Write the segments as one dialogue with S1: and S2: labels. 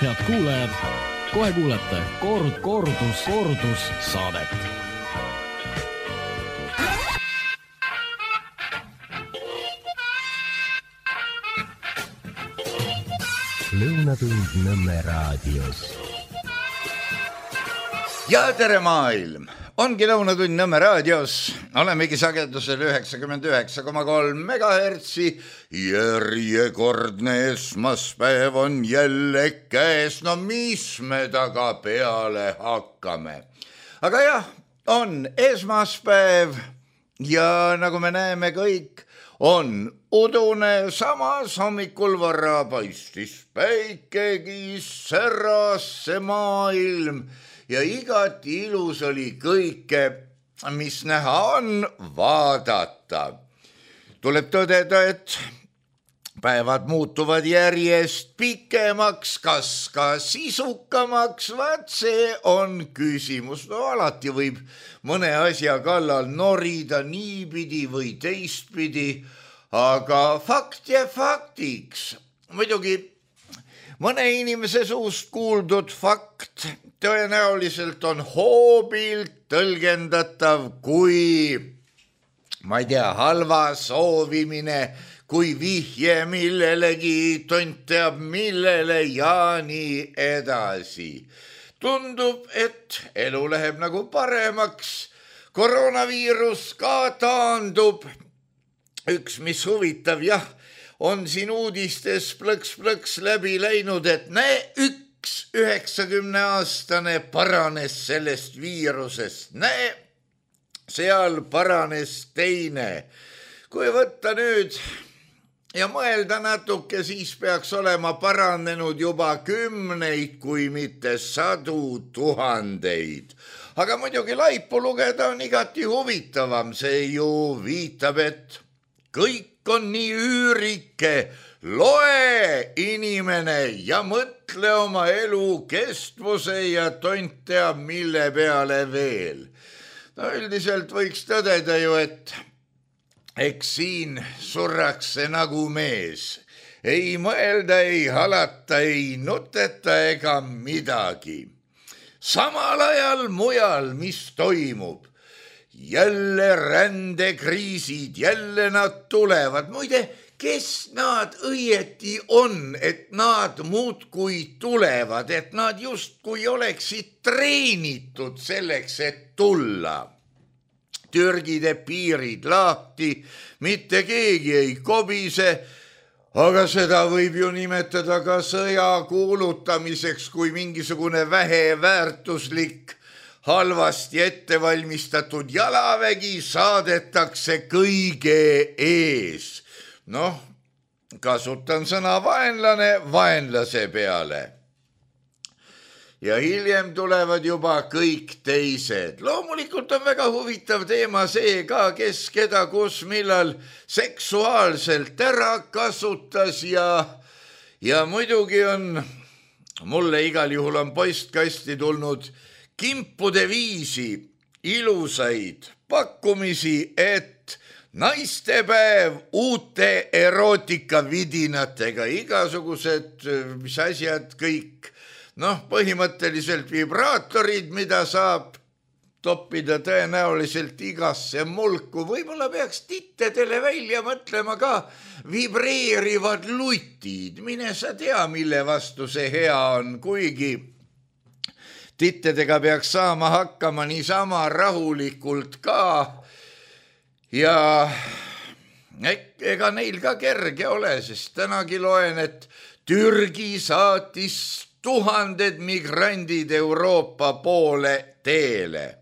S1: Head kuulajad, kohe kuulete kordus saadet.
S2: Lõunatund Nõmme raadios.
S3: Ja tere maailm! Ongi Lõunatund Nõmme raadios. Olemegi sagedusel 99,3 megahertsi. Järjekordne esmaspäev on jälle käes. No mis me taga peale hakkame? Aga jah, on esmaspäev ja nagu me näeme kõik, on udune, samas hommikul vara paistis päikegi, säras see maailm ja igati ilus oli kõike, mis näha on, vaadata. Tuleb tõdeda, et päevad muutuvad järjest pikemaks, kas ka sisukamaks, vaat see on küsimus. No alati võib mõne asja kallal norida niipidi või teistpidi, aga fakt ja faktiks. Muidugi mõne inimese suust kuuldud fakt tõenäoliselt on hoobilt tõlgendatav kui, ma ei tea, halva soovimine, kui vihje millelegi, tont teab millele ja nii edasi. Tundub, et elu läheb nagu paremaks, koroonaviirus ka taandub. Üks, mis huvitav, jah, on siin uudistes plõks läbi läinud, et üks 90-aastane paranes sellest viirusest. Seal paranes teine. Kui võtta nüüd ja mõelda natuke, siis peaks olema paranenud juba kümneid, kui mitte 100 000. Aga muidugi laipu lugeda on igati huvitavam. See ju viitab, et kõik on nii üürike. Loe, inimene, ja mõtle oma elu kestvuse ja tont teab mille peale veel. No üldiselt võiks tõdeda ju, et eks siin surrakse nagu mees. Ei mõelda, ei halata, ei nuteta ega midagi. Samal ajal mujal, mis toimub? Jälle rändekriisid, jälle nad tulevad. Muide, kes nad õieti on, et nad muudkui tulevad, et nad justkui oleksid treenitud selleks, et tulla. Türgi teeb piirid lahti, mitte keegi ei kobise, aga seda võib ju nimetada ka sõja kuulutamiseks, kui mingisugune väheväärtuslik, halvasti ettevalmistatud jalavägi saadetakse kõige ees. Noh, kasutan sõna vaenlane vaenlase peale. Ja hiljem tulevad juba kõik teised. Loomulikult on väga huvitav teema see ka, kes keda kus millal seksuaalselt ära kasutas ja muidugi on, mulle igal juhul on postkasti tulnud kimpude viisi ilusaid pakkumisi, et naistepäev uute erootikavidinatega, igasugused, mis asjad kõik, põhimõtteliselt vibraatorid, mida saab toppida tõenäoliselt igasse mulku. Võib-olla peaks tittedele välja mõtlema ka vibreerivad lutid. Mine sa tea, mille vastu see hea on, kuigi tittedega peaks saama hakkama niisama rahulikult ka. Ja ega neil ka kerge ole, sest tänagi loen, et Türgi saatis 1000 migrandid Euroopa poole teele.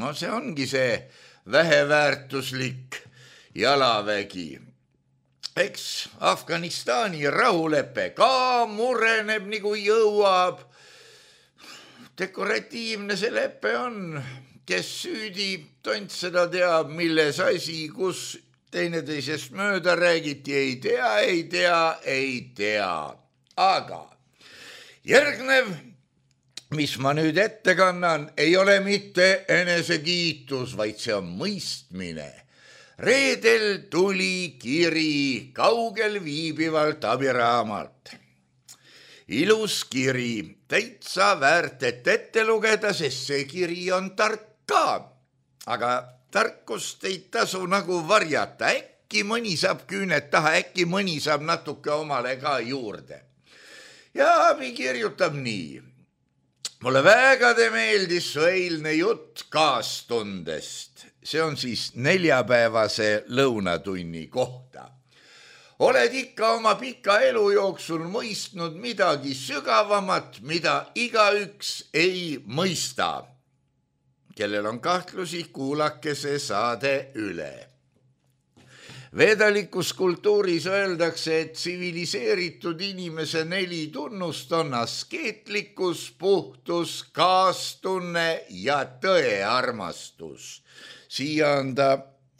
S3: No see ongi see väheväärtuslik jalavägi. Eks Afganistani rahulepe ka mureneb nagu jõuab. Dekoratiivne see lepe on, kes süüdi, tont seda teab, milles asi, kus teineteisest mööda räägiti, ei tea. Aga järgnev, mis ma nüüd ette kannan, ei ole mitte enesekiitus, vaid see on mõistmine. Reedel tuli kiri kaugel viibivalt abiraamalt. ilus kiri, täitsa väärt, et ette lugeda, sest see kiri on tark ka. Aga tarkust ei tasu nagu varjata, äkki mõni saab küüned taha, äkki mõni saab natuke omale ka juurde. Ja abi kirjutab nii. Mulle väga meeldis su eilne jutt kaastundest. See on siis neljapäevase lõunatunni kohta. Oled ikka oma pika elu jooksul mõistnud midagi sügavamat, mida igaüks ei mõista. Kellel on kahtlusi, kuulake see saade üle. Vedalikus kultuuris öeldakse, et tsiviliseeritud inimese 4 tunnust on askeetlikkus, puhtus, kaastunne ja tõearmastus. Siia on ta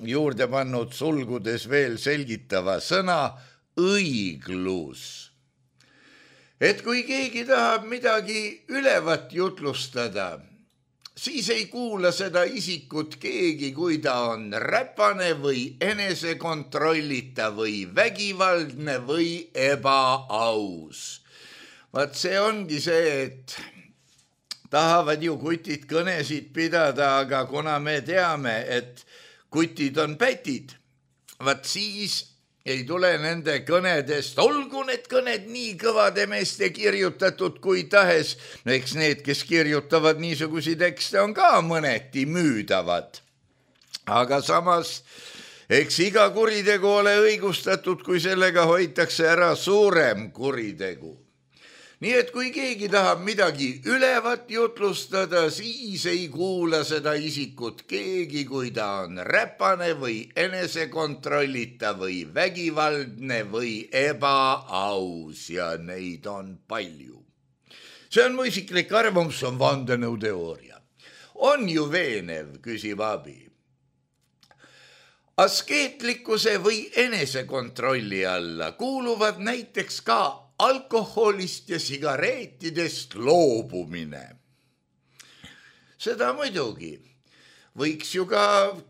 S3: juurde pannud sulgudes veel selgitava sõna õiglus. Et kui keegi tahab midagi ülevat jutlustada, siis ei kuula seda isikut keegi, kui ta on räpane või enesekontrollita või vägivaldne või ebaaus. Vaat see ongi see, et tahavad ju kutid kõnesid pidada, aga kuna me teame, et kutid on pätid, vaat siis ei tule nende kõnedest, olgu need kõned nii kõvade meeste kirjutatud kui tahes, no eks need, kes kirjutavad niisugusi tekste, on ka mõneti müüdavad. Aga samas, eks iga kuritegu ole õigustatud, kui sellega hoitakse ära suurem kuritegu. Nii et kui keegi tahab midagi ülevat jutlustada, siis ei kuula seda isikut keegi, kui ta on räpane või enesekontrollita või vägivaldne või ebaaus ja neid on palju. See on mu isiklik arvamus, on vandenõuteooria. On ju veenev, küsib abi. Askeetlikkuse või enesekontrolli alla kuuluvad näiteks ka alkoholist ja sigareetidest loobumine. Seda muidugi. Võiks ju ka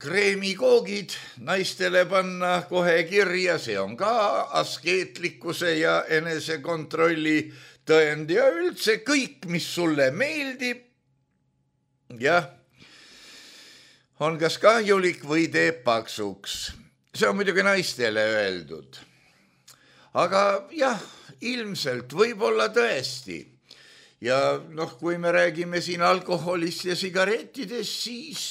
S3: kreemikoogid naistele panna kohe kirja, see on ka askeetlikkuse ja enesekontrolli tõend ja üldse kõik, mis sulle meeldib, jah, on kas kahjulik või teeb paksuks. See on muidugi naistele öeldud. Aga jah, ilmselt võib-olla tõesti. Ja kui me räägime siin alkoholist ja sigarettidest, siis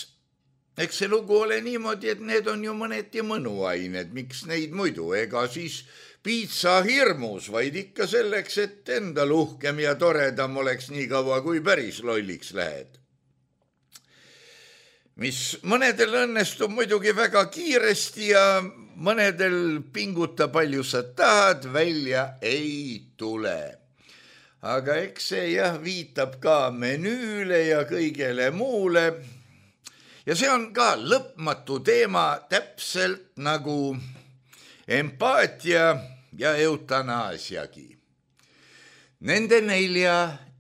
S3: eks see lugu ole niimoodi, et need on ju mõneti mõnuained, miks neid muidu, ega siis piitsa hirmus, vaid ikka selleks, et endal uhkem ja toredam oleks nii kaua, kui päris lolliks lähed. Mis mõnedel õnnestub muidugi väga kiiresti ja mõnedel pinguta palju sa tahad, välja ei tule. Aga eks see viitab ka menüüle ja kõigele muule. Ja see on ka lõpmatu teema, täpselt nagu empaatia ja eutanaasiagi. Nende 4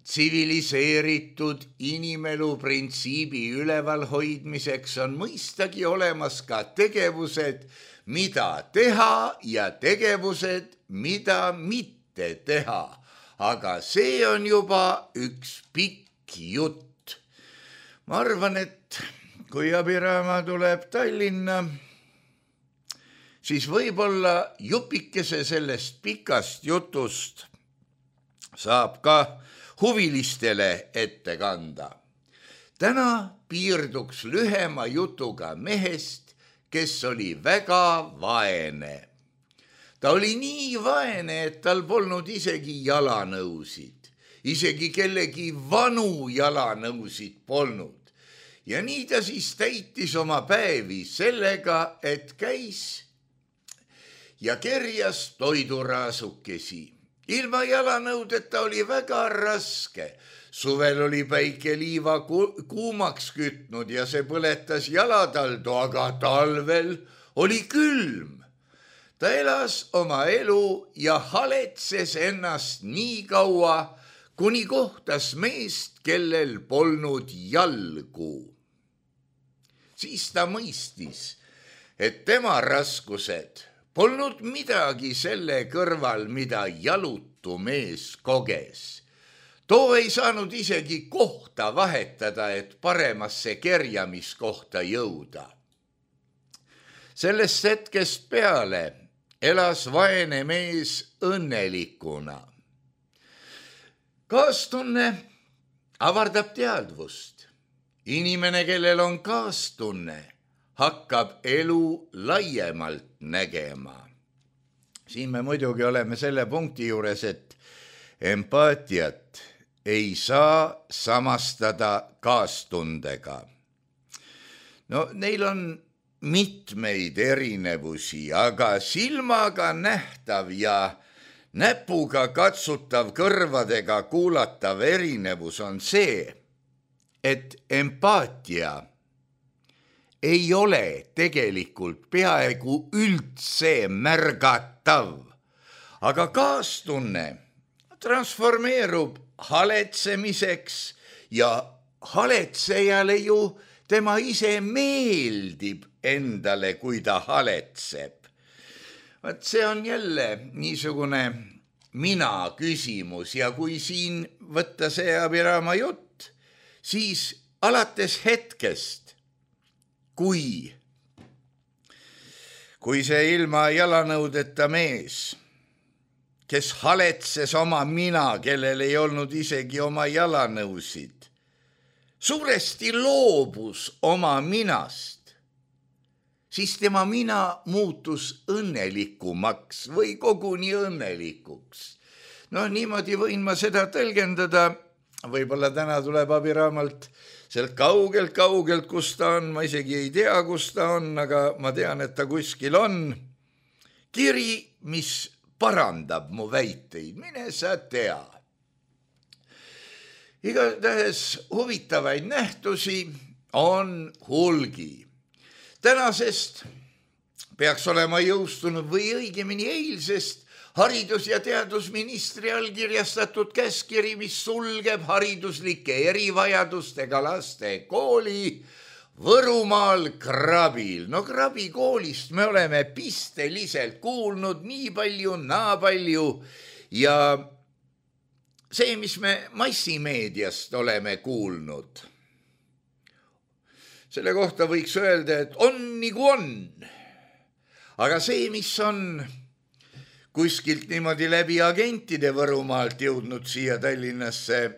S3: tsiviliseeritud inimelu printsiibi ülevalhoidmiseks on mõistagi olemas ka tegevused, mida teha ja tegevused, mida mitte teha. Aga see on juba üks pikk jutt. Ma arvan, et kui Abiraama tuleb Tallinna, siis võib-olla jupikese sellest pikast jutust saab ka huvilistele ette kanda. Täna piirduks lühema jutuga mehest, kes oli väga vaene. Ta oli nii vaene, et tal polnud isegi jalanõusid. Isegi kellegi vanu jalanõusid polnud. Ja nii ta siis täitis oma päevi sellega, et käis ja kerjas toiduraasukesi. Ilma jalanõudeta oli väga raske. Suvel oli päike liiva kuumaks kütnud ja see põletas jalataldu, aga talvel oli külm. Ta elas oma elu ja haletses ennast nii kaua, kuni kohtas meest, kellel polnud jalgu. Siis ta mõistis, et tema raskused polnud midagi selle kõrval, mida jalutu mees koges. Too ei saanud isegi kohta vahetada, et paremasse kerjamiskohta jõuda. Sellest hetkest peale elas vaene mees õnnelikuna. Kaastunne avardab teadvust. Inimene, kellel on kaastunne, hakkab elu laiemalt nägema. Siin me muidugi oleme selle punkti juures, et empaatiat ei saa samastada kaastundega. No neil on mitmeid erinevusi, aga silmaga nähtav ja näpuga katsutav, kõrvadega kuulatav erinevus on see, et empaatia ei ole tegelikult peaaegu üldse märgatav, aga kaastunne transformeerub haletsemiseks ja haletsejale ju tema ise meeldib endale, kui ta haletseb. Vaat see on jälle niisugune mina küsimus ja kui siin võtta see abiraama jutt, siis alates hetkest, kui see ilma jalanõudeta mees, kes haletses oma mina, kellel ei olnud isegi oma jalanõusid, suuresti loobus oma minast, siis tema mina muutus õnnelikumaks või koguni õnnelikuks. No niimoodi võin ma seda tõlgendada, võib-olla täna tuleb abiraamalt sealt kaugelt, kus ta on, ma isegi ei tea, kus ta on, aga ma tean, et ta kuskil on. Kiri, mis parandab mu väiteid, mine sa tea. Igatahes huvitavaid nähtusi on hulgi. Tänasest peaks olema jõustunud või õigemini eilsest haridus- ja teadusministri allkirjastatud käskkiri, mis sulgeb hariduslike erivajadustega laste kooli Võrumaal Krabil. No Krabi koolist me oleme pisteliselt kuulnud nii palju, naa palju ja see, mis me massimeediast oleme kuulnud, selle kohta võiks öelda, et on nagu on. Aga see, mis on kuskilt niimoodi läbi agentide Võrumaalt jõudnud siia Tallinnasse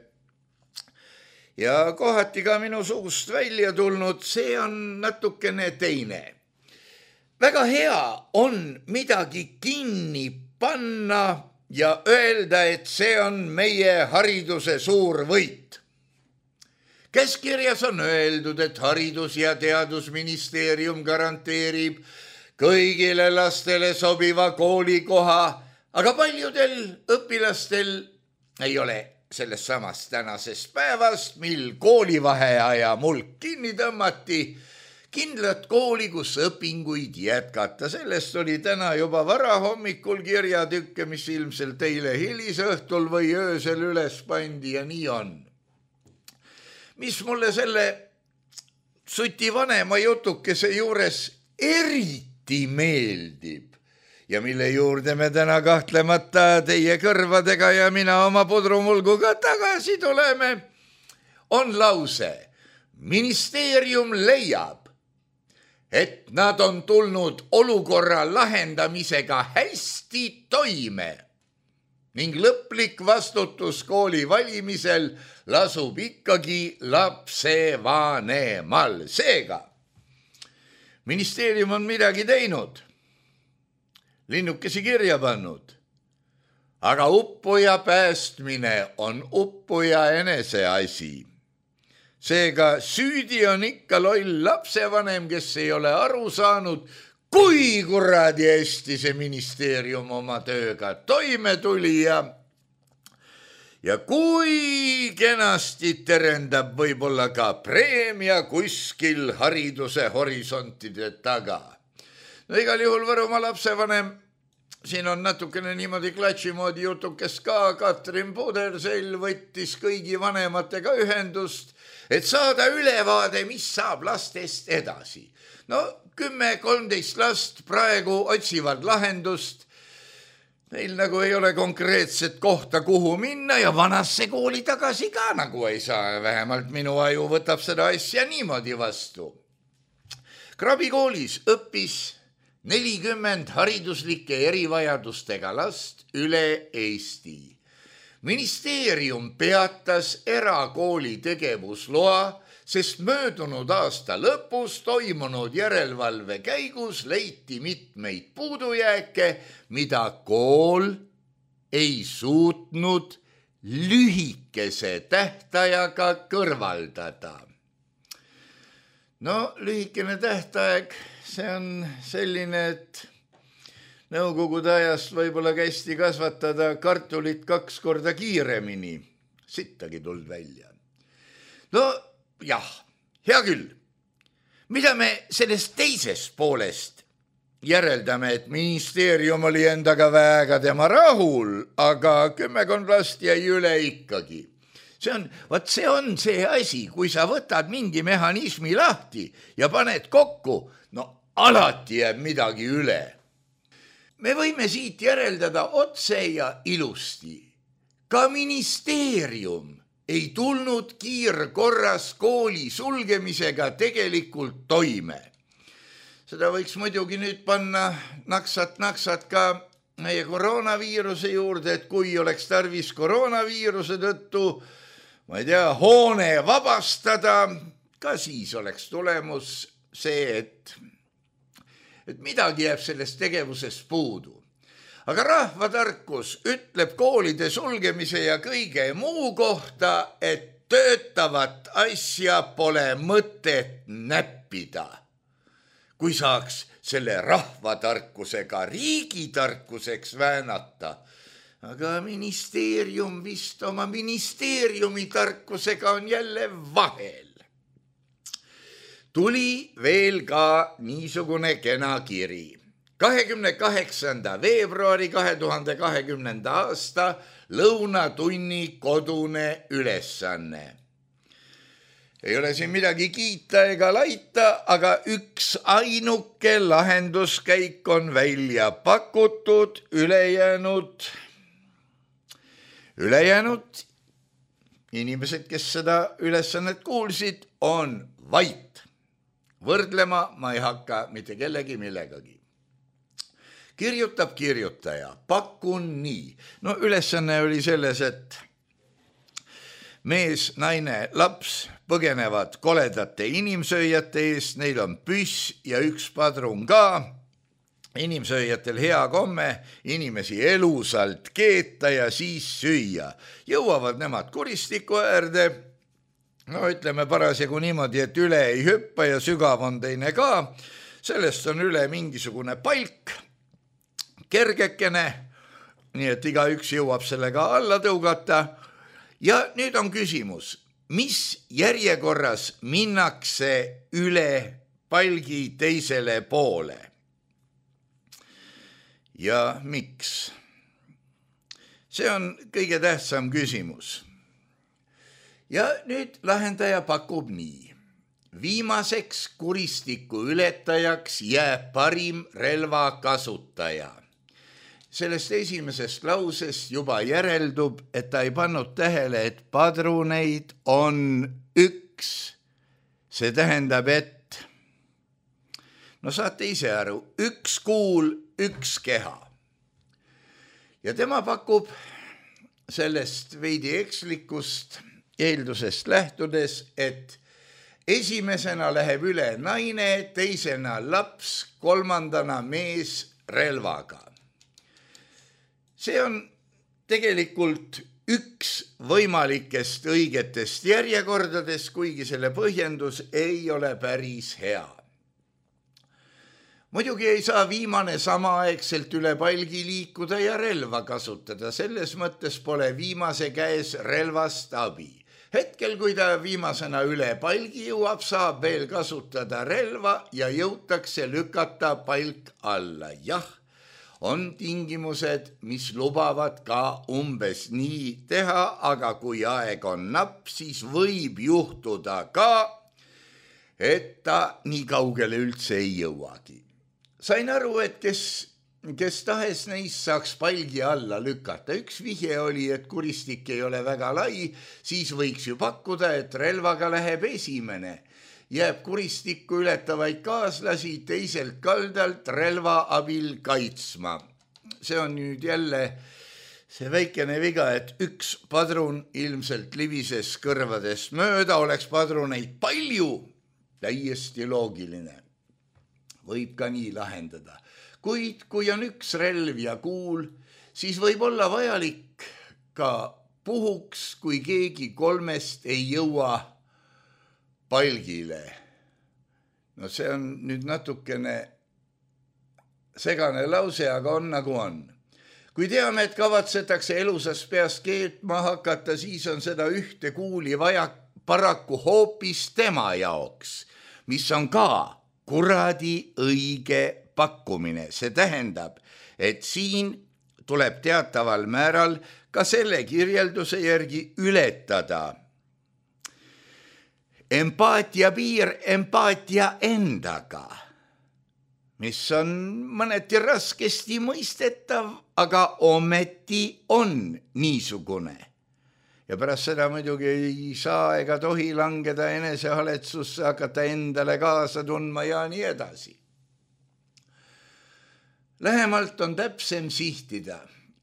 S3: ja kohati ka minu suust välja tulnud, see on natukene teine. Väga hea on midagi kinni panna ja öelda, et see on meie hariduse suur võit. Käskkirjas on öeldud, et Haridus- ja Teadusministeerium garanteerib kõigile lastele sobiva koolikoha, aga paljudel õpilastel ei ole sellest samast tänasest päevast, mil koolivaheaja mulk kinni tõmmati, kindlat kooli, kus õpinguid jätkata. Sellest oli täna juba varahommikul kirjatükke, mis ilmselt eile hilisõhtul või öösel üles pandi ja nii on. Mis mulle selle Suti vanema jutukese juures eriti meeldib ja mille juurde me täna kahtlemata teie kõrvadega ja mina oma pudrumulguga tagasi tuleme, on lause: ministeerium leiab, et nad on tulnud olukorra lahendamisega hästi toime ning lõplik vastutus kooli valimisel lasub ikkagi lapsevanemal. Seega, ministeerium on midagi teinud, linnukesi kirja pannud, aga uppuja päästmine on uppuja enese asi. Seega süüdi on ikka loll lapsevanem, kes ei ole aru saanud, kui kuradi hästi see ministeerium oma tööga toime tuli ja kui kenasti terendab võib-olla ka preemia kuskil hariduse horisontide taga. No igal juhul Võrumaa lapsevanem siin on natukene niimoodi klatši moodi jutukes ka. Katrin Pudersell võttis kõigi vanematega ühendust, et saada ülevaade, mis saab lastest edasi. No 10-13 last praegu otsivad lahendust. Neil nagu ei ole konkreetset kohta, kuhu minna ja vanasse kooli tagasi ka nagu ei saa. Vähemalt minu aju võtab seda asja niimoodi vastu. Krabi koolis õppis 40 hariduslike erivajadustega last üle Eesti. Ministeerium peatas erakooli tegevusloa, sest möödunud aasta lõpus toimunud järelevalve käigus leiti mitmeid puudujääke, mida kool ei suutnud lühikese tähtajaga kõrvaldada. No lühikene tähtaeg, see on selline, et nõukogude ajast võib-olla kästi kasvatada kartulit 2 korda kiiremini. Sittagi tuld välja. No jah, hea küll. Mida me sellest teisest poolest järeldame, et ministeerium oli endaga väga tema rahul, aga 10 last jäi üle ikkagi. See on see asi, kui sa võtad mingi mehhanismi lahti ja paned kokku, no alati jääb midagi üle. Me võime siit järeldada otse ja ilusti. Ka ministeerium ei tulnud kiirkorras kooli sulgemisega tegelikult toime. Seda võiks muidugi nüüd panna naksat ka meie koroonaviiruse juurde, et kui oleks tarvis koroonaviiruse tõttu, ma ei tea, hoone vabastada, ka siis oleks tulemus see, et midagi jääb sellest tegevusest puudu. Aga rahvatarkus ütleb koolide sulgemise ja kõige muu kohta, et töötavat asja pole mõtet näppida. Kui saaks selle rahvatarkusega riigitarkuseks väänata, aga ministeerium vist oma ministeeriumi tarkusega on jälle vahel. Tuli veel ka niisugune kena kiri. 28. veebruari 2020. aasta lõunatunni kodune ülesanne. Ei ole siin midagi kiita ega laita, aga üks ainuke lahenduskäik on välja pakutud, ülejäänud inimesed, kes seda ülesannet kuulsid, on vait. Võrdlema ma ei hakka mitte kellegi millegagi. Kirjutab kirjutaja, pakun nii. No ülesanne oli selles, et mees, naine, laps põgenevad koledate inimsööjate eest, neil on püss ja üks padrun ka. Inimsööjatel hea komme inimesi elusalt keeta ja siis süüa. Jõuavad nemad kuristiku äärde, no ütleme parasjagu niimoodi, et üle ei hüppa ja sügav on teine ka. Sellest on üle mingisugune palk, kergekene, nii et igaüks jõuab sellega alla tõugata. Ja nüüd on küsimus, mis järjekorras minnakse üle palgi teisele poole? Ja miks? See on kõige tähtsam küsimus. Ja nüüd lahendaja pakub nii. Viimaseks kuristiku ületajaks jääb parim relva kasutaja. Sellest esimesest lausest juba järeldub, et ta ei pannud tähele, et padruneid on üks. See tähendab, et no saate ise aru, üks kuul, üks keha. Ja tema pakub sellest veidi ekslikust eeldusest lähtudes, et esimesena läheb üle naine, teisena laps, kolmandana mees relvaga. See on tegelikult üks võimalikest õigetest järjekordadest, kuigi selle põhjendus ei ole päris hea. Muidugi ei saa viimane samaaegselt üle palgi liikuda ja relva kasutada, selles mõttes pole viimase käes relvast abi. Hetkel, kui ta viimasena üle palgi jõuab, saab veel kasutada relva ja jõutakse lükata palk alla. Jah, on tingimused, mis lubavad ka umbes nii teha, aga kui aeg on napp, siis võib juhtuda ka, et ta nii kaugele üldse ei jõuagi. Sain aru, et kes tahes neist saaks palgi alla lükata. Üks vihje oli, et kuristik ei ole väga lai, siis võiks ju pakkuda, et relvaga läheb esimene. Jääb kuristikku ületavaid kaaslasi teiselt kaldalt relva abil kaitsma. See on nüüd jälle see väikene viga, et üks padrun ilmselt libises kõrvadest mööda, oleks padruneid palju, täiesti loogiline. Võib ka nii lahendada. Kuid kui on üks relv ja kuul, siis võib olla vajalik ka puhuks, kui keegi kolmest ei jõua palgile. No see on nüüd natukene segane lause, aga on nagu on. Kui teame, et kavatsetakse elusast peast keetma hakata, siis on seda ühte kuuli vaja paraku hoopis tema jaoks, mis on ka kuradi õige pakkumine. See tähendab, et siin tuleb teataval määral ka selle kirjelduse järgi ületada empaatia piir empaatia endaga, mis on mõneti raskesti mõistetav, aga ometi on niisugune. Ja pärast seda muidugi ei saa ega tohi langeda enesehaletsusse, hakata endale kaasa tundma ja nii edasi. Lähemalt on täpsem sihtida.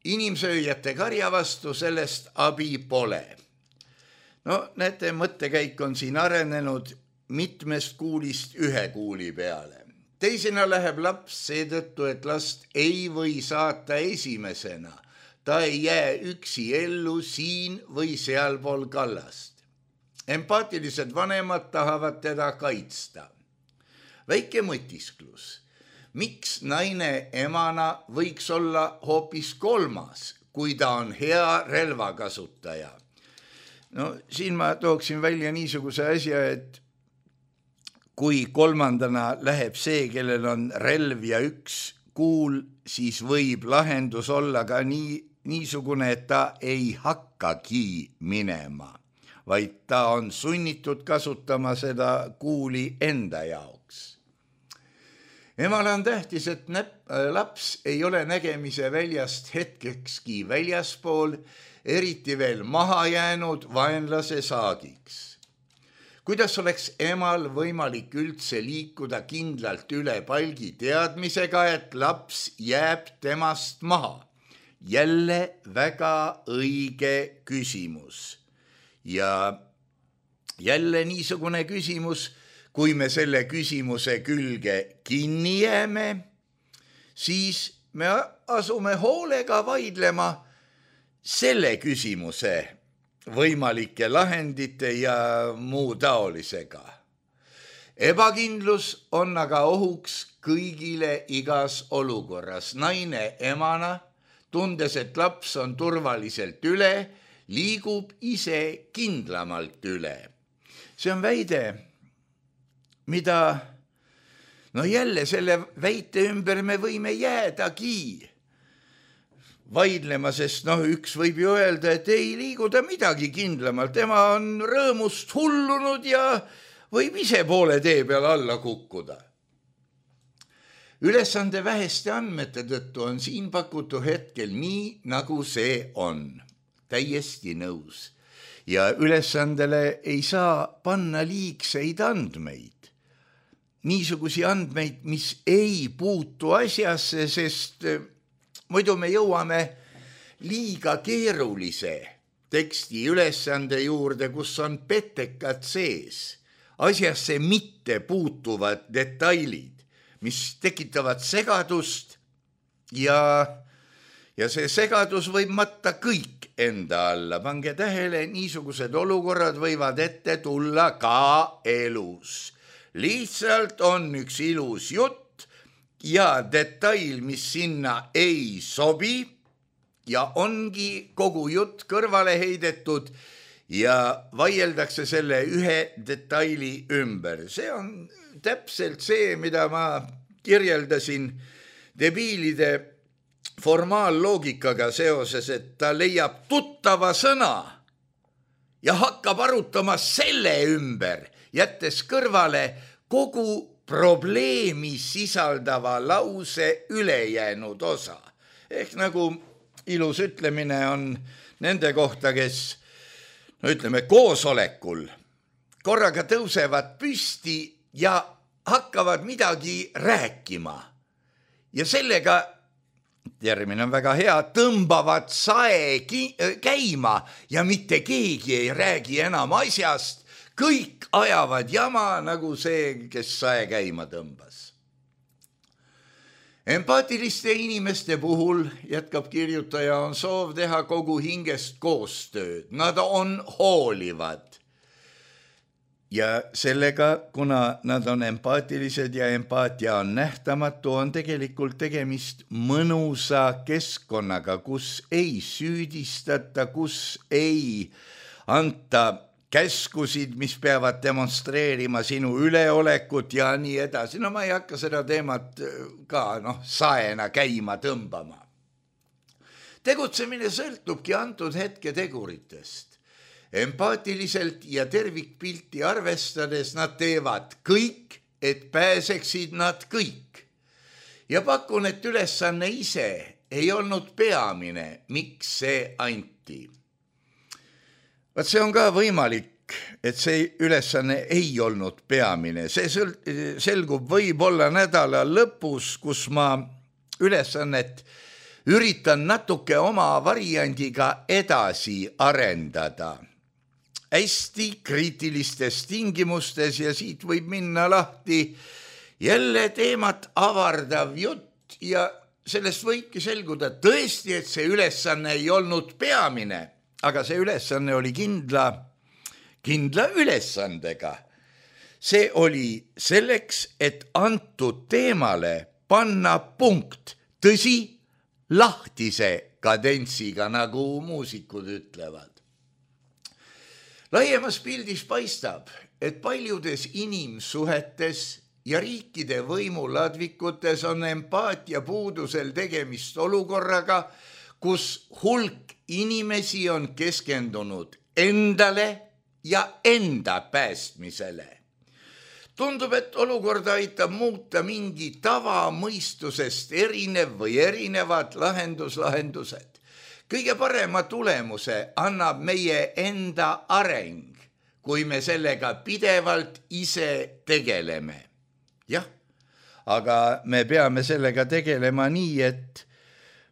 S3: Inimsööjate karja vastu sellest abi pole. No näete, mõttekäik on siin arenenud mitmest kuulist ühe kuuli peale. Teisena läheb laps seetõttu, et last ei või saata esimesena. Ta ei jää üksi ellu siin või sealpool kallast. Empaatilised vanemad tahavad teda kaitsta. Väike mõtisklus. Miks naine emana võiks olla hoopis kolmas, kui ta on hea relvakasutaja? No siin ma tooksin välja niisuguse asja, et kui kolmandana läheb see, kellel on relv ja üks kuul, siis võib lahendus olla ka niisugune, et ta ei hakkagi minema, vaid ta on sunnitud kasutama seda kuuli enda jaoks. Emale on tähtis, et laps ei ole nägemise väljast hetkekski väljaspool, eriti veel maha jäänud vaenlase saagiks. Kuidas oleks emal võimalik üldse liikuda kindlalt üle palgi teadmisega, et laps jääb temast maha? Jälle väga õige küsimus. Ja jälle niisugune küsimus, kui me selle küsimuse külge kinni jääme, siis me asume hoolega vaidlema selle küsimuse võimalike lahendite ja muu taolisega. Ebakindlus on aga ohuks kõigile igas olukorras. Naine emana, tundes, et laps on turvaliselt üle, liigub ise kindlamalt üle. See on väide, mida, jälle selle väite ümber me võime jäädagi vaidlema, sest üks võib ju öelda, et ei liigu ta midagi kindlamalt, tema on rõõmust hullunud ja võib ise poole tee peal alla kukkuda. Ülesande väheste andmete tõttu on siin pakutu hetkel nii, nagu see on. Täiesti nõus. Ja ülesandele ei saa panna liigseid andmeid. Niisugusi andmeid, mis ei puutu asjasse, sest muidu me jõuame liiga keerulise teksti ülesande juurde, kus on petekad sees, asjasse mitte puutuvad detailid, mis tekitavad segadust ja see segadus võib matta kõik enda alla. Pange tähele, niisugused olukorrad võivad ette tulla ka elus. Lihtsalt on üks ilus jutt, ja detail, mis sinna ei sobi ja ongi kogu jutt kõrvale heidetud ja vaieldakse selle ühe detaili ümber. See on täpselt see, mida ma kirjeldasin debiilide formaalloogikaga seoses, et ta leiab tuttava sõna ja hakkab arutama selle ümber, jättes kõrvale kogu probleemi sisaldava lause ülejäänud osa. Ehk nagu ilus ütlemine on nende kohta, kes ütleme koosolekul korraga tõusevad püsti ja hakkavad midagi rääkima ja sellega, termin on väga hea, tõmbavad sae käima ja mitte keegi ei räägi enam asjast, kõik ajavad jama nagu see, kes sae käima tõmbas. Empaatiliste inimeste puhul, jätkab kirjutaja, on soov teha kogu hingest koostööd. Nad on hoolivad. Ja sellega, kuna nad on empaatilised ja empaatia on nähtamatu, on tegelikult tegemist mõnusa keskkonnaga, kus ei süüdistata, kus ei anta käskusid, mis peavad demonstreerima sinu üleolekut ja nii edasi. No ma ei hakka seda teemat ka saena käima tõmbama. Tegutsemine sõltubki antud hetke teguritest. Empaatiliselt ja tervikpilti arvestades nad teevad kõik, et pääseksid nad kõik. Ja pakun, et ülesanne ise ei olnud peamine, miks see anti. Vaat see on ka võimalik, et see ülesanne ei olnud peamine. See selgub võib-olla nädala lõpus, kus ma ülesannet üritan natuke oma variandiga edasi arendada. Hästi kriitilistes tingimustes ja siit võib minna lahti jälle teemat avardav jutt ja sellest võibki selguda tõesti, et see ülesanne ei olnud peamine, aga see ülesanne oli kindla ülesandega. See oli selleks, et antud teemale panna punkt, tõsi, lahtise kadentsiga, nagu muusikud ütlevad. Laiemas pildis paistab, et paljudes inimsuhetes ja riikide võimuladvikutes on empaatia puudusel tegemist olukorraga, kus hulk inimesi on keskendunud endale ja enda päästmisele. Tundub, et olukorda aitab muuta mingi tavamõistusest erinev või erinevad lahendused. Kõige parema tulemuse annab meie enda areng, kui me sellega pidevalt ise tegeleme. Jah, aga me peame sellega tegelema nii, et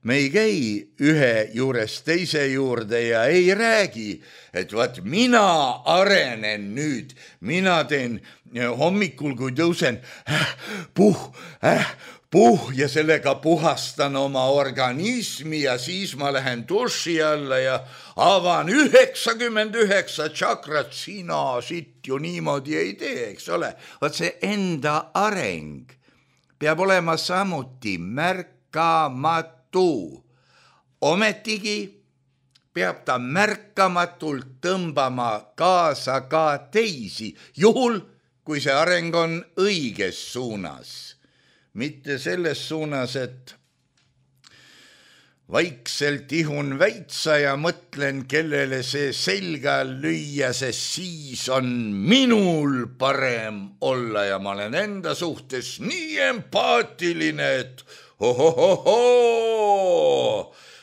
S3: me ei käi ühe juurest teise juurde ja ei räägi, et vaat mina arenen nüüd, mina teen hommikul, kui tõusen, puh ja sellega puhastan oma organismi ja siis ma lähen duši alla ja avan 99 tšakrat, sina siit ju niimoodi ei tee, eks ole. Vaat see enda areng peab olema samuti märkamatu. Ometigi peab ta märkamatult tõmbama kaasa ka teisi, juhul kui see areng on õiges suunas. Mitte selles suunas, et vaikselt ihun väitsa ja mõtlen, kellele see selga lüüa, sest siis on minul parem olla ja ma olen enda suhtes nii empaatiline, et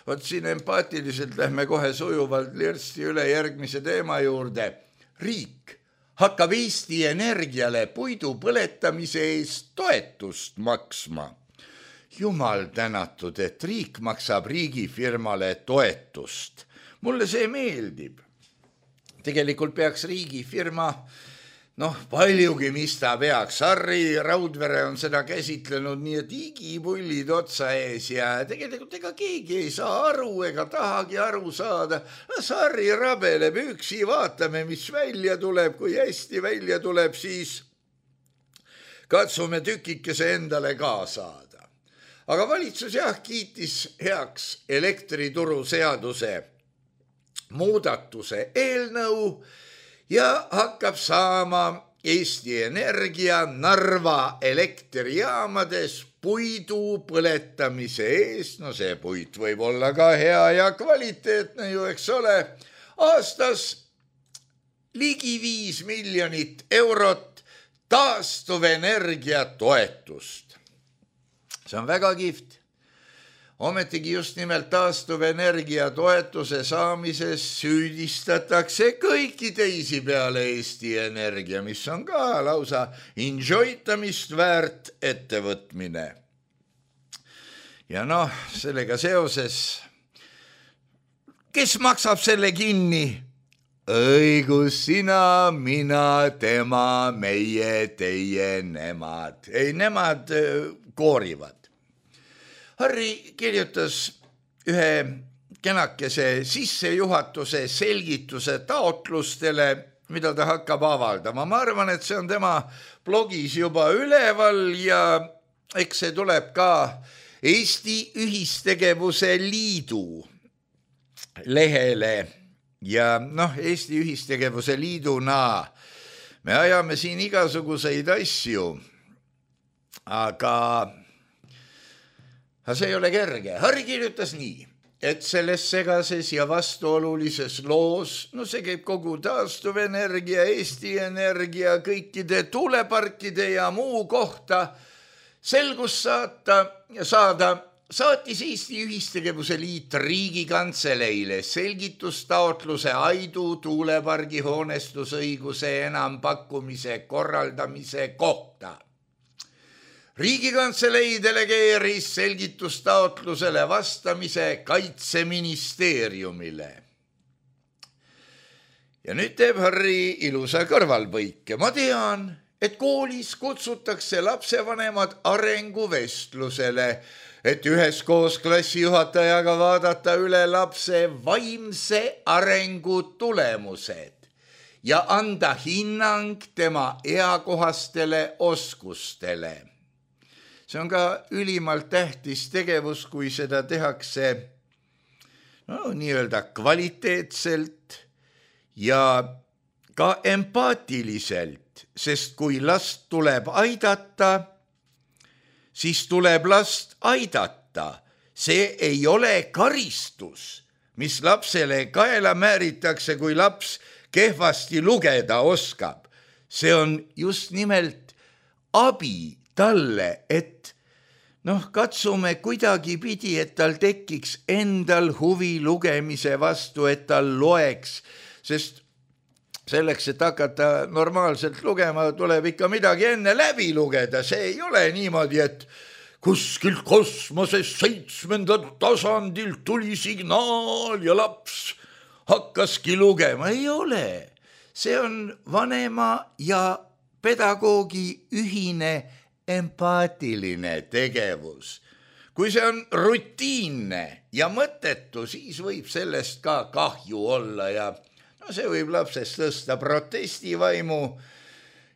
S3: Vot siin empaatiliselt lähme kohe sujuvalt lirsti üle järgmise teema juurde. Riik hakkab Eesti Energiale puidu põletamise eest toetust maksma. Jumal tänatud, et riik maksab riigifirmale toetust. Mulle see meeldib. Tegelikult peaks riigifirma, paljugi mis ta peaks. Harri Raudvere on seda käsitlenud nii, et igipullid otsa ees ja tegelikult ega keegi ei saa aru ega tahagi aru saada. Las Harri rabeleb üksi, vaatame, mis välja tuleb. Kui hästi välja tuleb, siis katsume tükikese endale ka saada. Aga valitsus kiitis heaks elektrituru seaduse muudatuse eelnõu ja hakkab saama Eesti Energia Narva elektrijaamades puidu põletamise eest, no see puit võib olla ka hea ja kvaliteetne ju, eks ole, aastas ligi 5 miljonit eurot taastuvenergia toetust. See on väga kihvt. Ometigi just nimelt taastuvenergia toetuse saamises süüdistatakse kõiki teisi peale Eesti Energia, mis on ka lausa enjoytamist väärt ettevõtmine. Ja noh, sellega seoses, kes maksab selle kinni? Õigus sina, mina, tema, meie, teie, nemad. Ei, nemad koorivad. Harri kirjutas ühe kenakese sissejuhatuse selgituse taotlustele, mida ta hakkab avaldama. Ma arvan, et see on tema blogis juba üleval ja eks see tuleb ka Eesti Ühistegevuse Liidu lehele. Ja noh, Eesti Ühistegevuse Liiduna me ajame siin igasuguseid asju, aga see ei ole kerge. Harri kirjutas nii, et selles segases ja vastuolulises loos, no see käib kogu taastuvenergia, Eesti Energia, kõikide tuuleparkide ja muu kohta, selgust saada, saatis Eesti Ühistegevuse Liit Riigikantseleile selgitustaotluse Aidu tuulepargi hoonestusõiguse enampakkumise korraldamise kohta. Riigikantselei delegeeris selgitustaotlusele vastamise Kaitseministeeriumile. Ja nüüd teeb Harri ilusa kõrvalpõike. Ma tean, et koolis kutsutakse lapsevanemad arenguvestlusele, et üheskoos klassijuhatajaga vaadata üle lapse vaimse arengu tulemused ja anda hinnang tema eakohastele oskustele. See on ka ülimalt tähtis tegevus, kui seda tehakse nii-öelda kvaliteetselt ja ka empaatiliselt, sest kui last tuleb aidata, siis tuleb last aidata. See ei ole karistus, mis lapsele kaela määritakse, kui laps kehvasti lugeda oskab. See on just nimelt abi talle, et katsume kuidagi pidi, et tal tekiks endal huvi lugemise vastu, et tal loeks, sest selleks, et hakata normaalselt lugema, tuleb ikka midagi enne läbi lugeda. See ei ole niimoodi, et kuskilt kosmoses 7. tasandilt tuli signaal ja laps hakkaski lugema. Ei ole. See on vanema ja pedagoogi ühine empaatiline tegevus. Kui see on rutiinne ja mõttetu, siis võib sellest ka kahju olla ja see võib lapsest tõsta protestivaimu.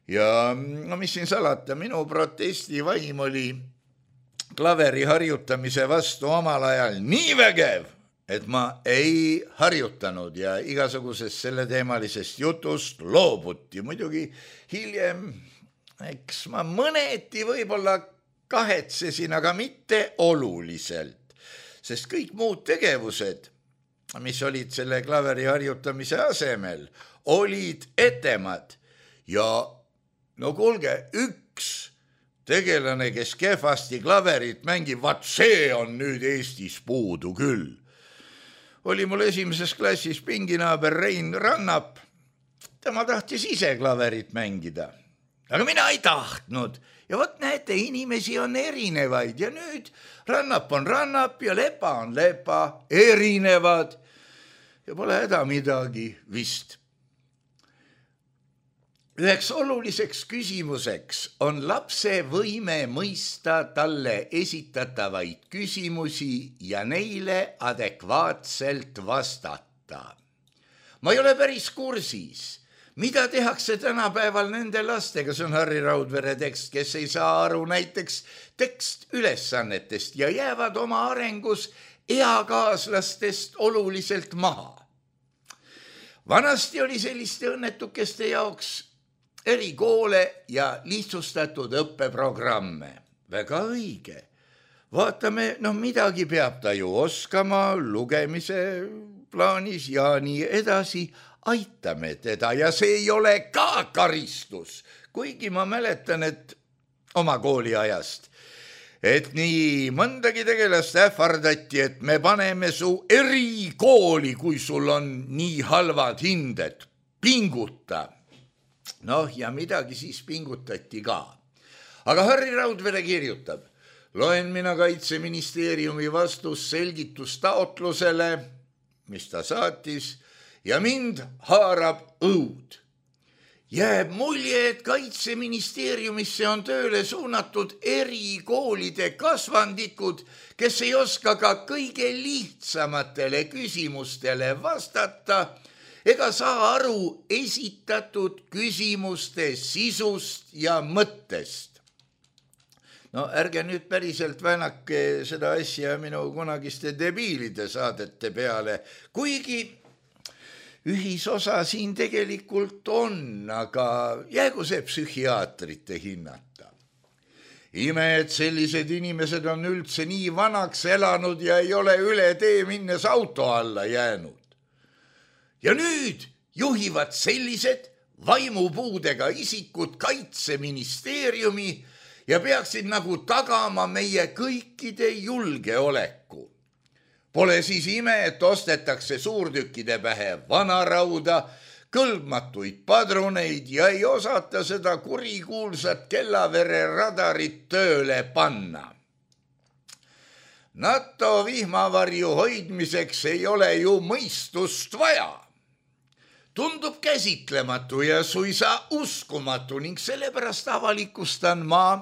S3: Ja mis siin salata, minu protestivaim oli klaveri harjutamise vastu omal ajal nii vägev, et ma ei harjutanud ja igasugusest selleteemalisest jutust loobuti. Muidugi hiljem eks ma mõneti võib-olla kahetsesin, aga mitte oluliselt, sest kõik muud tegevused, mis olid selle klaveri harjutamise asemel, olid etemad. Ja no kuulge, üks tegelane, kes kehvasti klaverit mängib, vaat see on nüüd Eestis puudu küll. Oli mul esimeses klassis pinginaaber Rein Rannap. Tema tahtis ise klaverit mängida. Aga mina ei tahtnud. Ja võt näete, inimesi on erinevaid ja nüüd Rannap on Rannap ja Lepa on Lepa, erinevad ja pole häda midagi vist. Üheks oluliseks küsimuseks on lapse võime mõista talle esitatavaid küsimusi ja neile adekvaatselt vastata. Ma ei ole päris kursis. Mida tehakse tänapäeval nende lastega? See on Harri Raudvere tekst, kes ei saa aru näiteks tekstülesannetest ja jäävad oma arengus eakaaslastest oluliselt maha. Vanasti oli selliste õnnetukeste jaoks erikoole ja lihtsustatud õppeprogramme. väga õige. Vaatame, midagi peab ta ju oskama lugemise plaanis ja nii edasi. Aitame teda ja see ei ole ka karistus. Kuigi ma mäletan, et oma kooliajast, et nii mõndagi tegelast ähvardati, et me paneme su erikooli, kui sul on nii halvad hinded. Pinguta. Ja midagi siis pingutati ka. Aga Harri Raudvere kirjutab, loen mina Kaitseministeeriumi vastus selgitustaotlusele, mis ta saatis, ja mind haarab õud. Jääb mulje, et Kaitseministeeriumisse on tööle suunatud erikoolide kasvandikud, kes ei oska ka kõige lihtsamatele küsimustele vastata ega saa aru esitatud küsimuste sisust ja mõttest. Ärge nüüd päriselt väänake seda asja minu kunagiste debiilide saadete peale, kuigi ühisosa siin tegelikult on, aga jäägu see psühhiaatrite hinnata. Ime, et sellised inimesed on üldse nii vanaks elanud ja ei ole üle tee minnes auto alla jäänud. Ja nüüd juhivad sellised vaimupuudega isikud Kaitseministeeriumi ja peaksid nagu tagama meie kõikide julgeoleku. Pole siis ime, et ostetakse suurtükkide pähe vanarauda, kõlbmatuid padruneid ja ei osata seda kurikuulsat Kellavere radarit tööle panna. NATO vihmavarju hoidmiseks ei ole ju mõistust vaja. Tundub käsitlematu ja suisa uskumatu ning sellepärast avalikustan ma,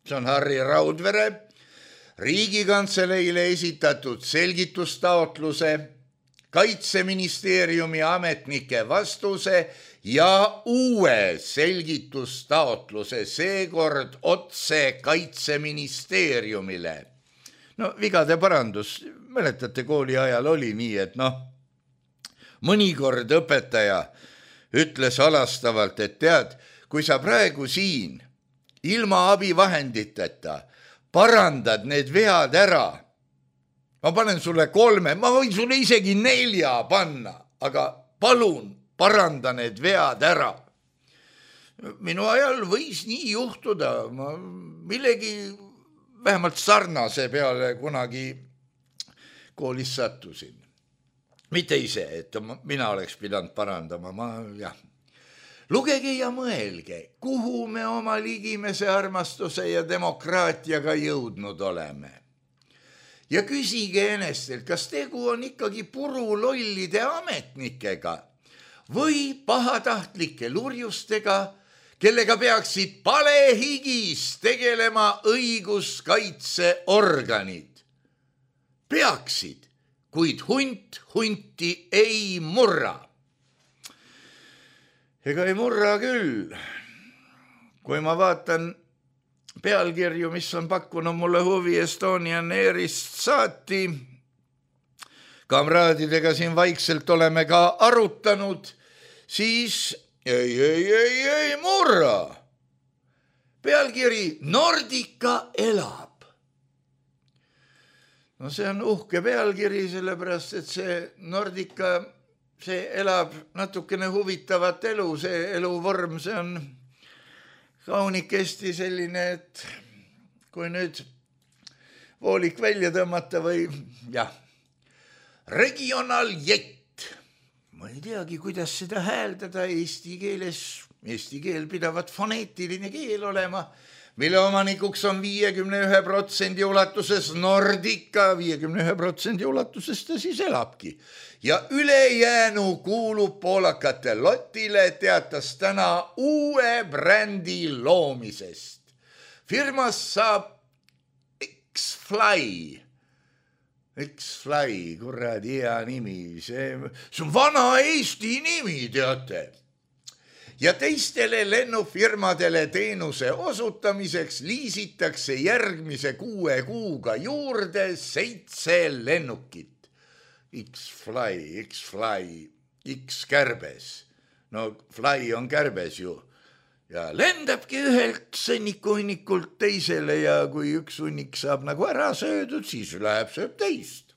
S3: see on Harri Raudvere, Riigikantseleile esitatud selgitustaotluse, Kaitseministeeriumi ametnike vastuse ja uue selgitustaotluse, seekord otse Kaitseministeeriumile. Vigade parandus, mäletate, kooli ajal oli nii, et mõnikord õpetaja ütles halastavalt, et tead, kui sa praegu siin ilma abivahenditeta parandad need vead ära, ma panen sulle 3, ma võin sulle isegi 4 panna, aga palun paranda need vead ära. Minu ajal võis nii juhtuda, ma millegi vähemalt sarnase peale kunagi koolis sattusin. Mitte ise, et mina oleks pidanud parandama, Lugege ja mõelge, kuhu me oma ligimese armastuse ja demokraatiaga jõudnud oleme. Ja küsige enestelt, kas tegu on ikkagi purulollide ametnikega või pahatahtlike lurjustega, kellega peaksid palehigis tegelema õiguskaitseorganid. Peaksid, kuid hunt hunti ei murra. Ega ei murra küll. Kui ma vaatan pealkirju, mis on pakkunud mulle huvi Estonian Airist saati, kamraadidega siin vaikselt oleme ka arutanud, siis ei murra. Pealkiri Nordica elab. See on uhke pealkiri, sellepärast, et see Nordica, see elab natukene huvitavat elu, see eluvorm, see on kaunikesti selline, et kui nüüd voolik välja tõmmata või regionaljett. Ma ei teagi, kuidas seda hääldada eesti keeles. Eesti keel pidavat foneetiline keel olema, mille omanikuks on 51% ulatuses Nordica, 51% ulatuses ta siis elabki. Ja ülejäänu kuulub poolakate lotile, teatas täna uue brändi loomisest. Firmas saab X-Fly. X-Fly, kuradi hea nimi. See on vana Eesti nimi, teate. Ja teistele lennufirmadele teenuse osutamiseks liisitakse järgmise 6 kuuga juurde 7 lennukit. X-Fly, X-Kärbes. No Fly on kärbes ju. ja lendabki ühelt sõnnikuhunnikult teisele ja kui üks hunnik saab nagu ära söödud, siis läheb sööb teist.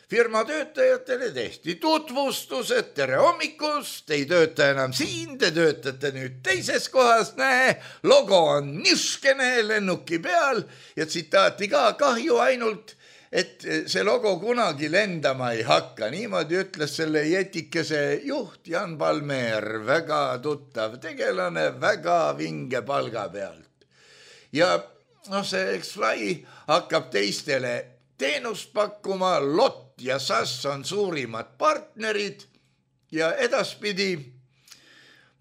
S3: Firma töötajatele tehti tutvustused, tere hommikust, ei tööta enam siin, te töötate nüüd teises kohas, näe, logo on niskene lennuki peal ja tsitaati ka kahju ainult, et see logo kunagi lendama ei hakka. Niimoodi ütles selle jetikese juht Jan Palmer, väga tuttav tegelane, väga vinge palga pealt. Ja see X-Fly hakkab teistele teenust pakkuma, LOT ja SAS on suurimad partnerid ja edaspidi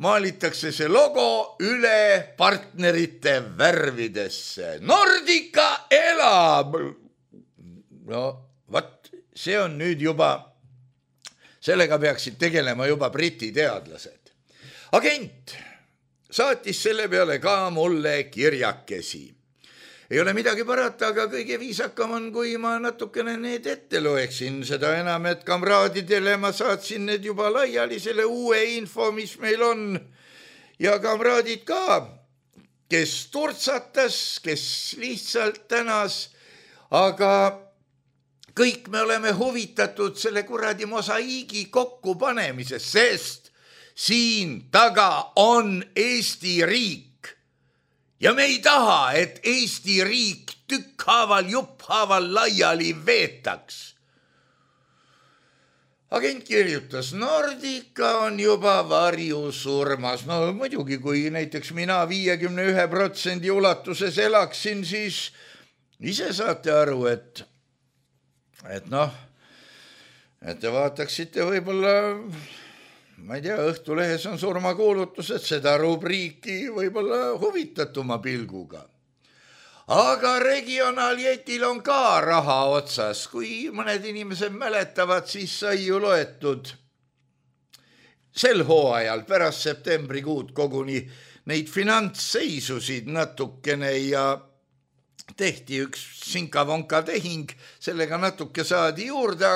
S3: maalitakse see logo üle partnerite värvidesse. Nordica elab! No, see on nüüd juba, sellega peaksid tegelema juba briti teadlased. Agent saatis selle peale ka mulle kirjakesi. Ei ole midagi parata, aga kõige viisakam on, kui ma natukene need ette loeksin. Seda enam, et kamraadidele ma saatsin need juba laiali selle uue info, mis meil on. Ja kamraadid ka, kes turtsatas, kes lihtsalt tänas, aga kõik me oleme huvitatud selle kuradi mosaiigi kokkupanemisest, sest siin taga on Eesti riik. Ja me ei taha, et Eesti riik tükkhaaval, jupphaaval laiali veetaks. Agent kirjutas, Nordica on juba varjusurmas. No muidugi, kui näiteks mina 51% ulatuses elaksin, siis ise saate aru, et te vaataksite võib-olla, ma ei tea, Õhtulehes on surmakuulutus, et seda rubriiki võib-olla huvitatuma pilguga. Aga regionaaljetil on ka raha otsas. Kui mõned inimesed mäletavad, siis sai ju loetud sel hooajal pärast septembrikuud koguni neid finantsseisusid natukene ja tehti üks sinka-vonka tehing, sellega natuke saadi juurde,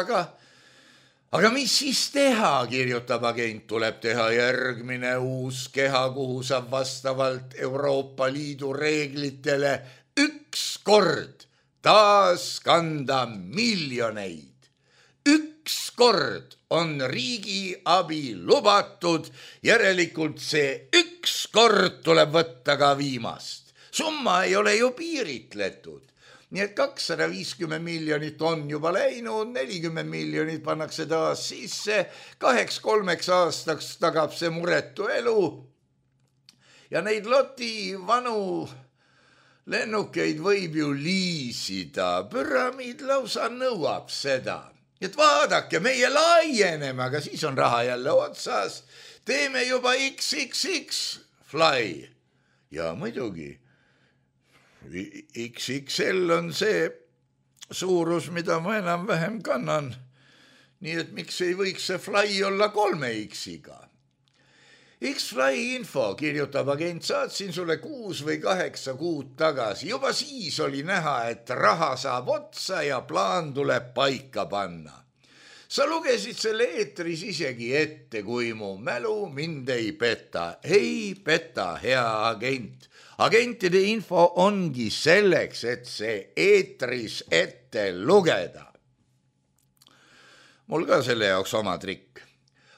S3: aga mis siis teha, kirjutab agent, tuleb teha järgmine uus keha, kuhu saab vastavalt Euroopa Liidu reeglitele üks kord taas kanda miljoneid. Üks kord on riigi abi lubatud, järelikult see üks kord tuleb võtta ka viimast. Summa ei ole ju piiritletud. Nii et 250 miljonit on juba läinud, 40 miljonit pannakse taas sisse, 2-3 aastaks tagab see muretu elu. Ja neid loti vanu lennukeid võib ju liisida, püramiid lausa nõuab seda. Et vaadake, meie laieneme, aga siis on raha jälle otsas, teeme juba XXX fly. Ja muidugi, XXL on see suurus, mida ma enam-vähem kannan. Nii et miks ei võiks see fly olla 3X-iga? X-Fly info, kirjutab agent, saatsin sulle 6 või 8 kuud tagasi. Juba siis oli näha, et raha saab otsa ja plaan tuleb paika panna. Sa lugesid selle eetris isegi ette, kui mu mälu mind ei peta. Ei peta, hea agent. Agentide info ongi selleks, et see eetris ette lugeda. Mul ka selle jaoks oma trikk.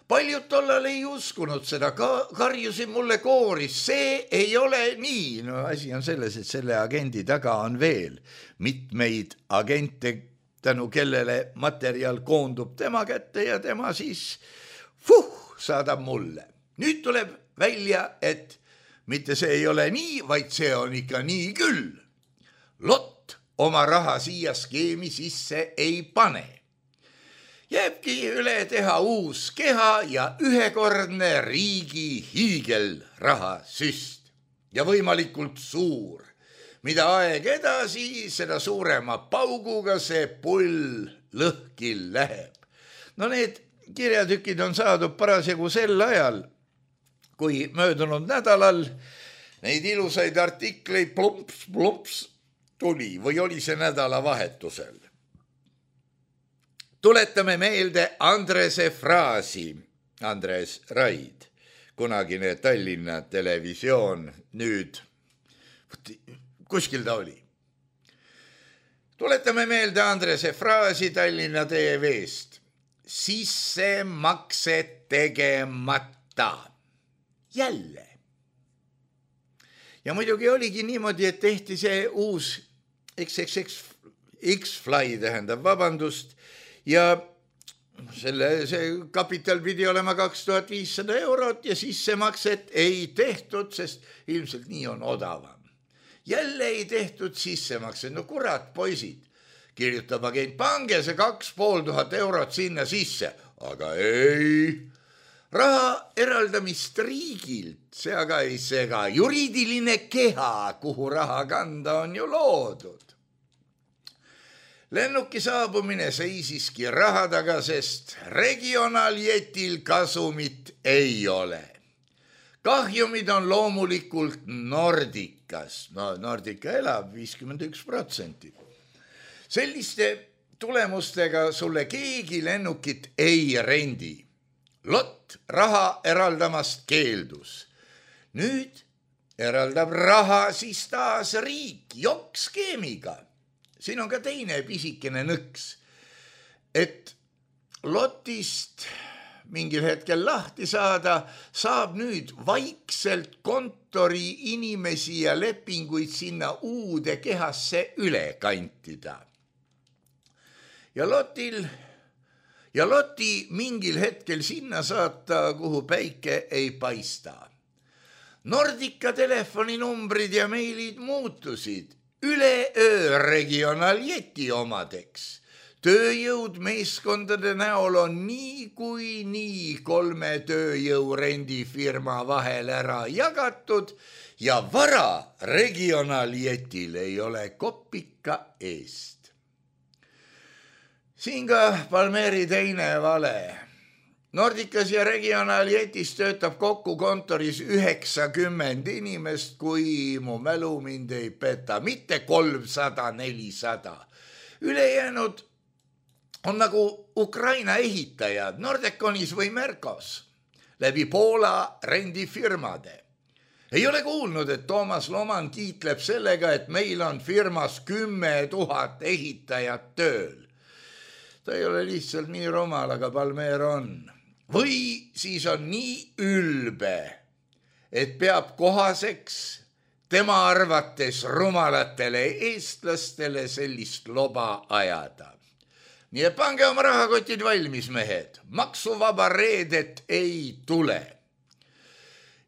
S3: Paljud tollal ei uskunud seda, karjusid mulle kooris, see ei ole nii. No asi on selles, et selle agendi taga on veel mitmeid agente, tänu kellele materjal koondub tema kätte ja tema siis saadab mulle. Nüüd tuleb välja, et mitte see ei ole nii, vaid see on ikka nii küll. LOT oma raha siia skeemi sisse ei pane. Jääbki üle teha uus keha ja ühekordne riigi hiigelrahasüst. Ja võimalikult suur. Mida aeg edasi, seda suurema pauguga see pull lõhki läheb. No need kirjatükid on saadud parasjagu sel ajal, kui möödunud nädalal neid ilusaid artikleid plumps tuli või oli see nädalavahetusel. Tuletame meelde Andrese fraasi, Andres Raid. kunagine Tallinna Televisioon, nüüd kuskil ta oli. Tuletame meelde Andrese fraasi Tallinna TV-st. Sissemakse tegemata. Jälle. Ja muidugi oligi niimoodi, et tehti see uus X-Fly tähendab, vabandust, ja see kapital pidi olema 2500 eurot ja sissemakset ei tehtud, sest ilmselt nii on odavam. Jälle ei tehtud sissemakset, no kurat, poisid, kirjutab agent, pange see 2500 eurot sinna sisse, aga ei. Raha eraldamist riigilt, see aga ei sega, juriidiline keha, kuhu raha kanda on ju loodud. Lennuki saabumine seisiski raha taga, sest regionaaljetil kasumit ei ole. Kahjumid on loomulikult Nordikas. No Nordica elab 51%. Selliste tulemustega sulle keegi lennukit ei rendi. Lott raha eraldamast keeldus. Nüüd eraldab raha siis taas riik jokkskeemiga. Siin on ka teine pisikene nõks, et lotist mingil hetkel lahti saada, saab nüüd vaikselt kontori inimesi ja lepinguid sinna uude kehasse üle kantida. Ja loti mingil hetkel sinna saata, kuhu päike ei paista. Nordica telefoninumbrid ja meilid muutusid üleöö regionaaljeti omadeks. Tööjõud meeskondade näol on nii kui nii 3 tööjõurendifirma vahel ära jagatud ja vara regionaaljetil ei ole kopika eest. Siin ka Palmeri teine vale. Nordicas ja regionaaljetis töötab kokku kontoris 90 inimest, kui mu mälu mind ei peta, mitte 300-400. Ülejäänud on nagu Ukraina ehitajad Nordeconis või Mercos, läbi Poola rendifirmade. Ei ole kuulnud, et Toomas Loman kiitleb sellega, et meil on firmas 10 000 ehitajat tööl. Ta ei ole lihtsalt nii rumal, aga Palmer on. Või siis on nii ülbe, et peab kohaseks tema arvates rumalatele eestlastele sellist loba ajada. Nii et pange oma rahakotid valmis, mehed. Maksuvaba reedet ei tule.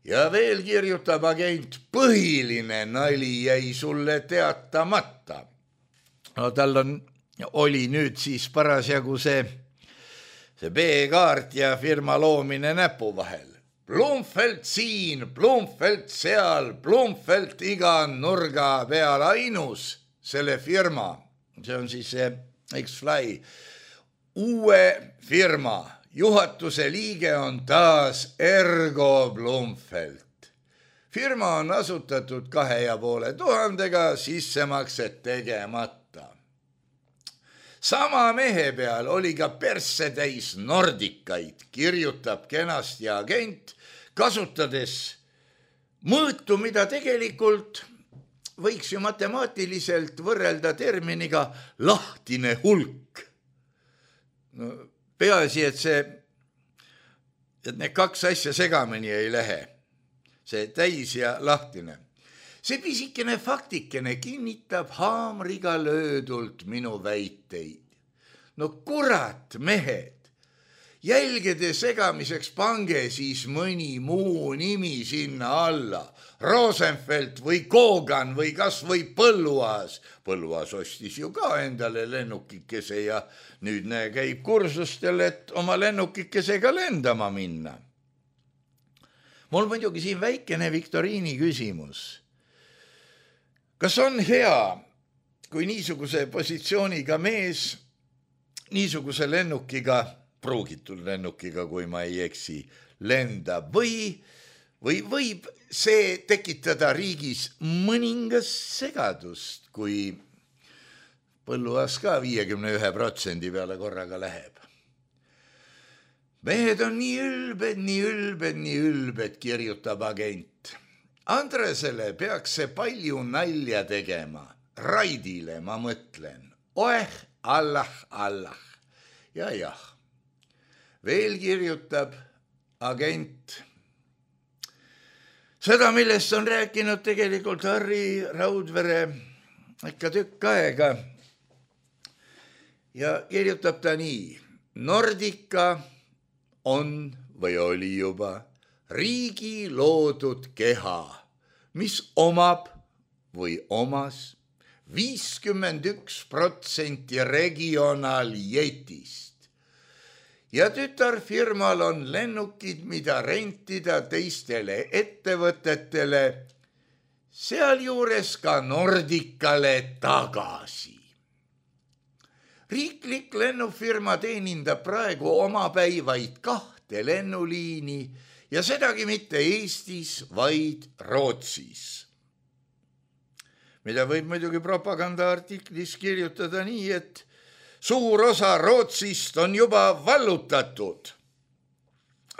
S3: Ja veel kirjutab agent, põhiline nali jäi sulle teatamata. No tal oli nüüd siis parasjagu see B-kaart ja firma loomine näpu vahel. Blumfeld siin, Blumfeld seal, Blumfeld iga nurga peal ainus selle firma. See on siis see X-Fly. Uue firma juhatuse liige on taas Ergo Blumfeld. Firma on asutatud 2500 sissemakset tegemata. Sama mehe peal oli ka persse täis Nordikaid, kirjutab kenasti agent, kasutades mõõtu, mida tegelikult võiks ju matemaatiliselt võrrelda terminiga lahtine hulk. No, peaasi, et need kaks asja segamini ei lähe. See täis ja lahtine. See pisikene faktikene kinnitab haamriga löödult minu väiteid. No kurat, mehed, jälgede segamiseks pange siis mõni muu nimi sinna alla. Rosenfeld või Kogan või kas või Põlluaas. Põlluaas ostis ju ka endale lennukikese ja nüüd käib kursustel, et oma lennukikesega lendama minna. Mul muidugi siin väikene viktoriini küsimus. Kas on hea, kui niisuguse positsiooniga mees, niisuguse lennukiga, pruugitud lennukiga, kui ma ei eksi, lendab või võib see tekitada riigis mõningas segadust, kui Põlluaas ka 51% peale korraga läheb? mehed on nii ülbed, kirjutab agent. Andresele peaks see palju nalja tegema. Raidile ma mõtlen. Allah. Ja jah. Veel kirjutab agent. Seda, millest on rääkinud tegelikult Harri Raudvere ikka tükk aega. Ja kirjutab ta nii. Nordica on või oli juba riigi loodud keha, mis omab või omas 51% regionaaljetist. Ja tütarfirmal on lennukid, mida rentida teistele ettevõtetele, sealjuures ka Nordicale tagasi. Riiklik lennufirma teenindab praegu omapäi vaid 2 lennuliini ja sedagi mitte Eestis, vaid Rootsis. Mida võib muidugi propagandaartiklis kirjutada nii, et suur osa Rootsist on juba vallutatud.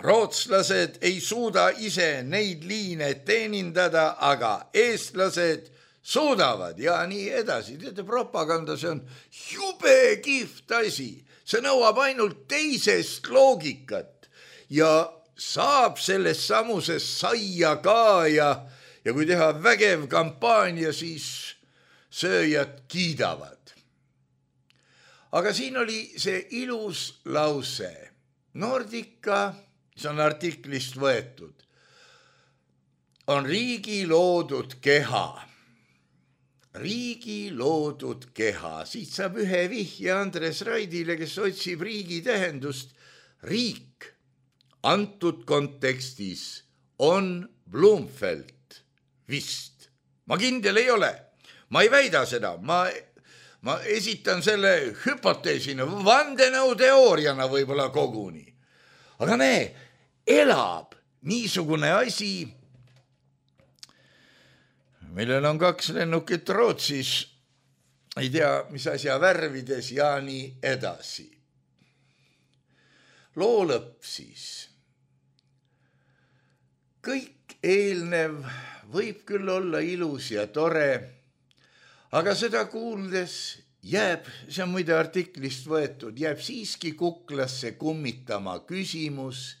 S3: Rootslased ei suuda ise neid liine teenindada, aga eestlased suudavad ja nii edasi. Teate, propaganda, see on jube kihvt asi. See nõuab ainult teisest loogikat ja saab sellest samuses saia ka ja kui teha vägev kampaania, siis sööjad kiidavad. Aga siin oli see ilus lause. Nordica, see on artiklist võetud, on riigi loodud keha. Riigi loodud keha. Siit saab ühe vihje Andres Raidile, kes otsib riigi tähendust. Riik antud kontekstis on Blumfeld vist. Ma kindel ei ole. Ma ei väida seda. Ma esitan selle hüpoteesina, vandenõuteooriana võib-olla koguni. Aga elab niisugune asi, millel on 2 lennukit Rootsis, ei tea, mis asja värvides ja nii edasi. Loo lõpp siis. Kõik eelnev võib küll olla ilus ja tore, aga seda kuuldes jääb, see on muide artiklist võetud, jääb siiski kuklasse kummitama küsimus,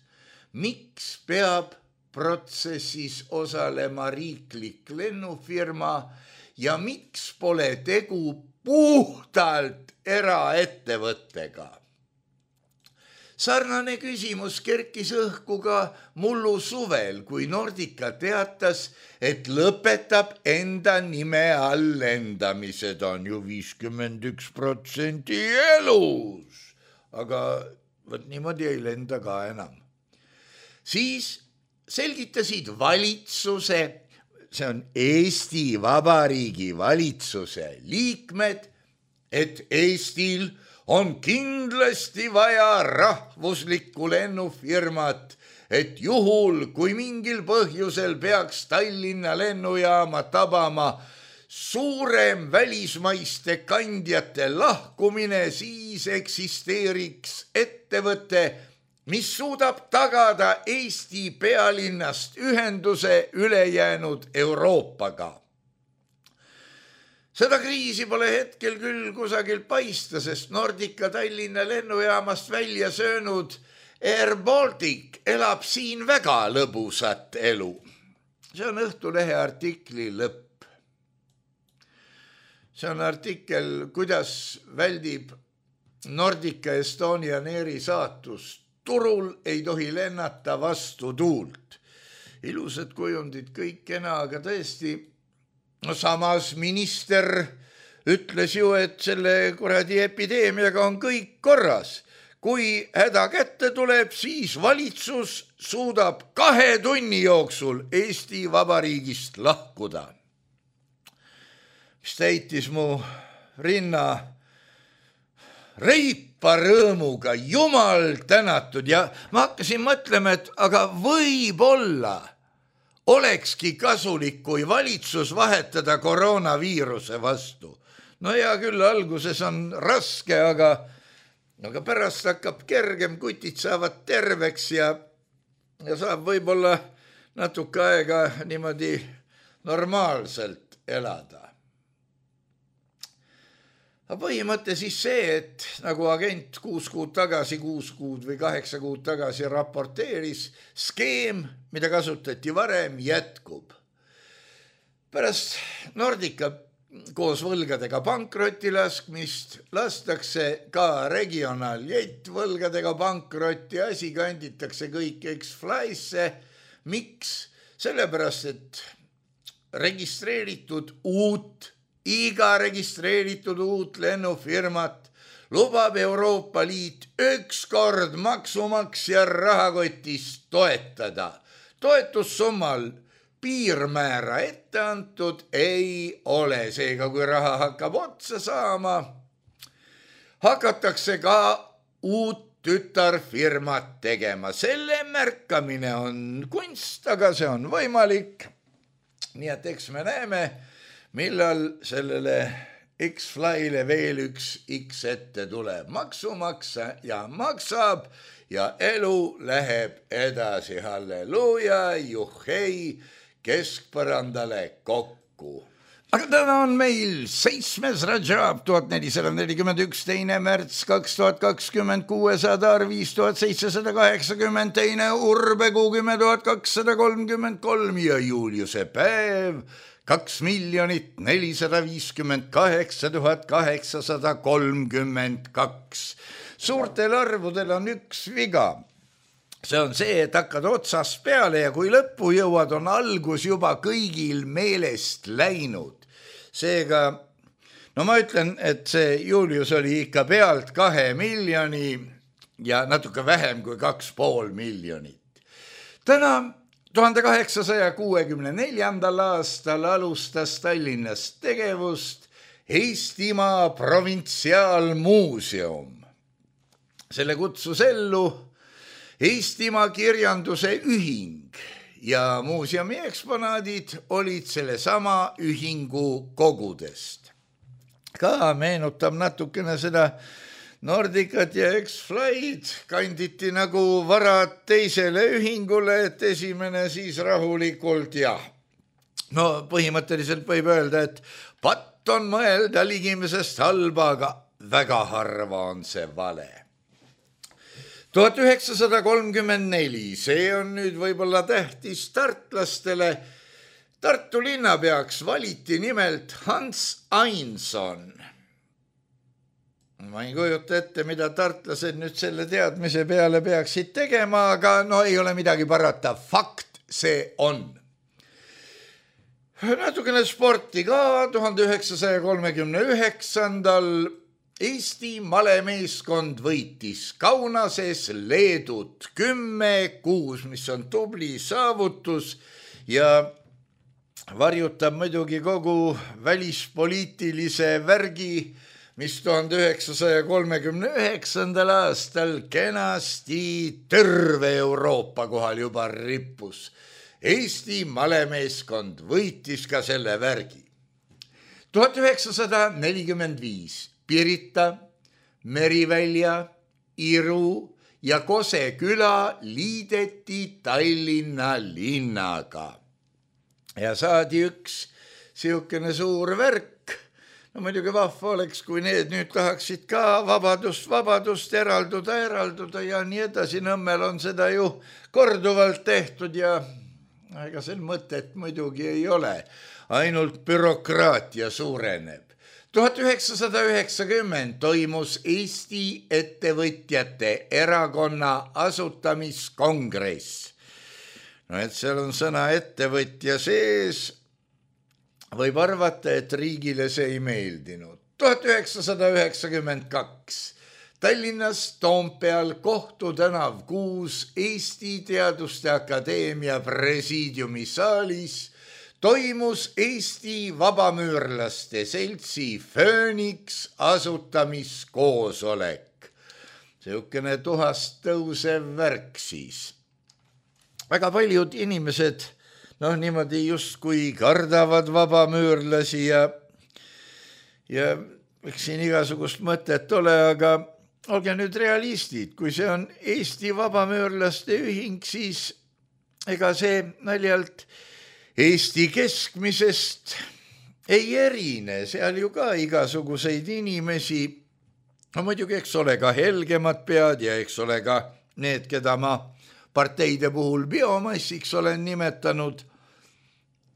S3: miks peab protsessis osalema riiklik lennufirma ja miks pole tegu puhtalt eraettevõttega. Sarnane küsimus kerkis õhku ka mullu suvel, kui Nordica teatas, et lõpetab enda nime all lendamise. Ta on ju 51% elus, aga võt niimoodi ei lenda ka enam. Siis selgitasid valitsuse, see on Eesti Vabariigi valitsuse liikmed, et Eestil on kindlasti vaja rahvuslikku lennufirmat, et juhul, kui mingil põhjusel peaks Tallinna lennujaama tabama suurem välismaiste kandjate lahkumine, siis eksisteeriks ettevõte, mis suudab tagada Eesti pealinnast ühenduse ülejäänud Euroopaga. Seda kriisi pole hetkel küll kusagil paista, sest Nordica Tallinna lennujaamast välja söönud Air Baltic elab siin väga lõbusat elu. See on Õhtulehe artikli lõpp. See on artikkel, kuidas väldib Nordica Estonian Airi saatus. Turul ei tohi lennata vastu tuult. Ilusad kujundid, kõik kena, aga tõesti, no samas minister ütles ju, et selle kuradi epideemiaga on kõik korras. Kui häda kätte tuleb, siis valitsus suudab 2 tunni jooksul Eesti Vabariigist lahkuda. Mis täitis mu rinna reipa rõõmuga, jumal tänatud, ja ma hakkasin mõtlema, et aga võib-olla olekski kasulik, kui valitsus vahetada koroonaviiruse vastu. No hea küll, alguses on raske, aga aga pärast hakkab kergem, kutid saavad terveks ja saab võib-olla natuke aega niimoodi normaalselt elada. Aga põhimõte siis see, et nagu agent 6 kuud tagasi, 6 kuud või 8 kuud tagasi raporteeris, skeem, mida kasutati varem, jätkub. Pärast Nordica koos võlgadega pankrotti laskmist lastakse ka regionaaljett võlgadega pankrotti, asi kanditakse kõik X-Fly'sse. Miks? Sellepärast, et iga registreeritud uut lennufirmat lubab Euroopa Liit ükskord maksumaksja rahakotist toetada. Toetussummal piirmäära ette antud ei ole, seega kui raha hakkab otsa saama, hakatakse ka uut tütarfirmat tegema. Selle märkamine on kunst, aga see on võimalik. Nii et eks me näeme, millal sellele X-Fly'le veel üks X ette tuleb. Maksumaksa ja maksab ja elu läheb edasi. Halleluuja, juhhei, keskpõrandale kokku. Aga täna on meil 7. Rajab 1441, 2. märts 2026, Adar 5780, 2. Urbekuu 10233 ja Juliuse päev 2 458 832. Suurtel arvudel on üks viga. See on see, et hakkad otsast peale ja kui lõppu jõuad, on algus juba kõigil meelest läinud. Seega, no ma ütlen, et see Julius oli ikka pealt 2 miljoni ja natuke vähem kui 2,5 miljonit. Täna 1864. aastal alustas Tallinnas tegevust Eestimaa Provintsiaalmuuseum. Selle kutsus ellu Eestimaa kirjanduse ühing ja muuseumi eksponaadid olid selle sama ühingu kogudest. Ka meenutab natukene seda Nordicat ja X-Fly'd, kanditi nagu varad teisele ühingule, et esimene siis rahulikult ja. No põhimõtteliselt võib öelda, et patt on mõelda ligimesest halba, aga väga harva on see vale. 1934, see on nüüd võib-olla tähtis tartlastele. Tartu linnapeaks valiti nimelt Hans Einson. Ma ei kujuta ette, mida tartlased nüüd selle teadmise peale peaksid tegema, aga no ei ole midagi parata. Fakt see on. Natukene sporti ka 1939. Eesti malemeeskond võitis Kaunases Leedut 10-6, mis on tubli saavutus ja varjutab muidugi kogu välispoliitilise värgi, mis 1939. aastal kenasti terve Euroopa kohal juba rippus. Eesti malemeeskond võitis ka selle värgi. 1945. Pirita, Merivälja, Iru ja Kose küla liideti Tallinna linnaga. Ja saadi üks siukene suur värk. No muidugi vahva oleks, kui need nüüd tahaksid ka vabadust eralduda ja nii edasi. Nõmmel on seda ju korduvalt tehtud ja ega sel mõtet muidugi ei ole. Ainult bürokraatia suureneb. 1990 toimus Eesti ettevõtjate erakonna asutamiskongress. No et seal on sõna ettevõtja sees, võib arvata, et riigile see ei meeldinud. 1992 Tallinnas Toompeal Kohtu tänav 6 Eesti Teaduste Akadeemia presiidiumi saalis toimus Eesti Vabamüürlaste Seltsi Fööniks asutamiskoosolek. Siukene tuhast tõusev värk siis. Väga paljud inimesed niimoodi justkui kardavad vabamüürlasi ja eks siin igasugust mõtet ole, aga olge nüüd realistid, kui see on Eesti Vabamöörlaste Ühing, siis ega see naljalt Eesti keskmisest ei erine, seal ju ka igasuguseid inimesi, no muidugi eks ole ka helgemad pead ja eks ole ka need, keda ma parteide puhul biomassiks olen nimetanud,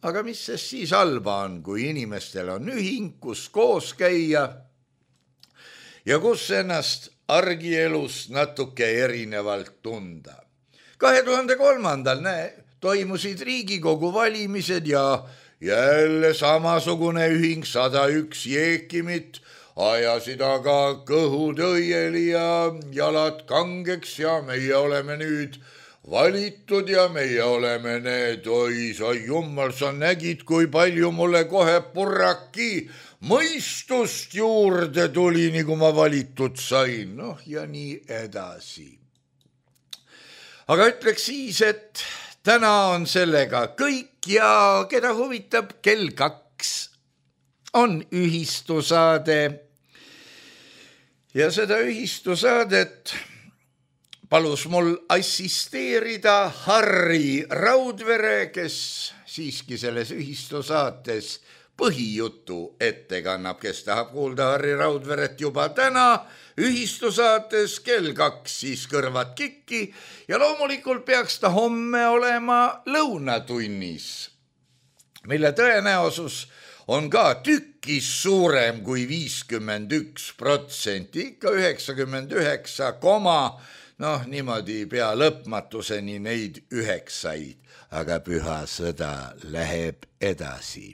S3: aga mis sest siis halba on, kui inimestel on ühing, kus koos käia ja kus ennast argielust natuke erinevalt tunda. 2003. Toimusid Riigikogu valimised ja jälle samasugune ühing 101 jeekimit ajasid aga kõhud õieli ja jalad kangeks ja meie oleme nüüd valitud ja meie oleme need, oi sa jummal, sa nägid, kui palju mulle kohe purraki mõistust juurde tuli, nii kui ma valitud sain, noh ja nii edasi. Aga ütleks siis, et täna on sellega kõik ja keda huvitab, kell 2 on ühistusaade ja seda ühistusaadet palus mul assisteerida Harri Raudvere, kes siiski selles ühistusaates põhijutu ette kannab, kes tahab kuulda Harri Raudveret juba täna ühistusaates kell 2, siis kõrvad kikki ja loomulikult peaks ta homme olema lõunatunnis, mille tõenäosus on ka tükis suurem kui 51%, ikka 99, noh niimoodi pea lõpmatuseni neid 9, aga püha sõda läheb edasi.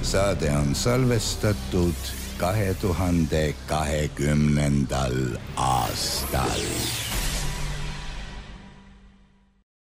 S3: Saade on salvestatud 2020. aastal.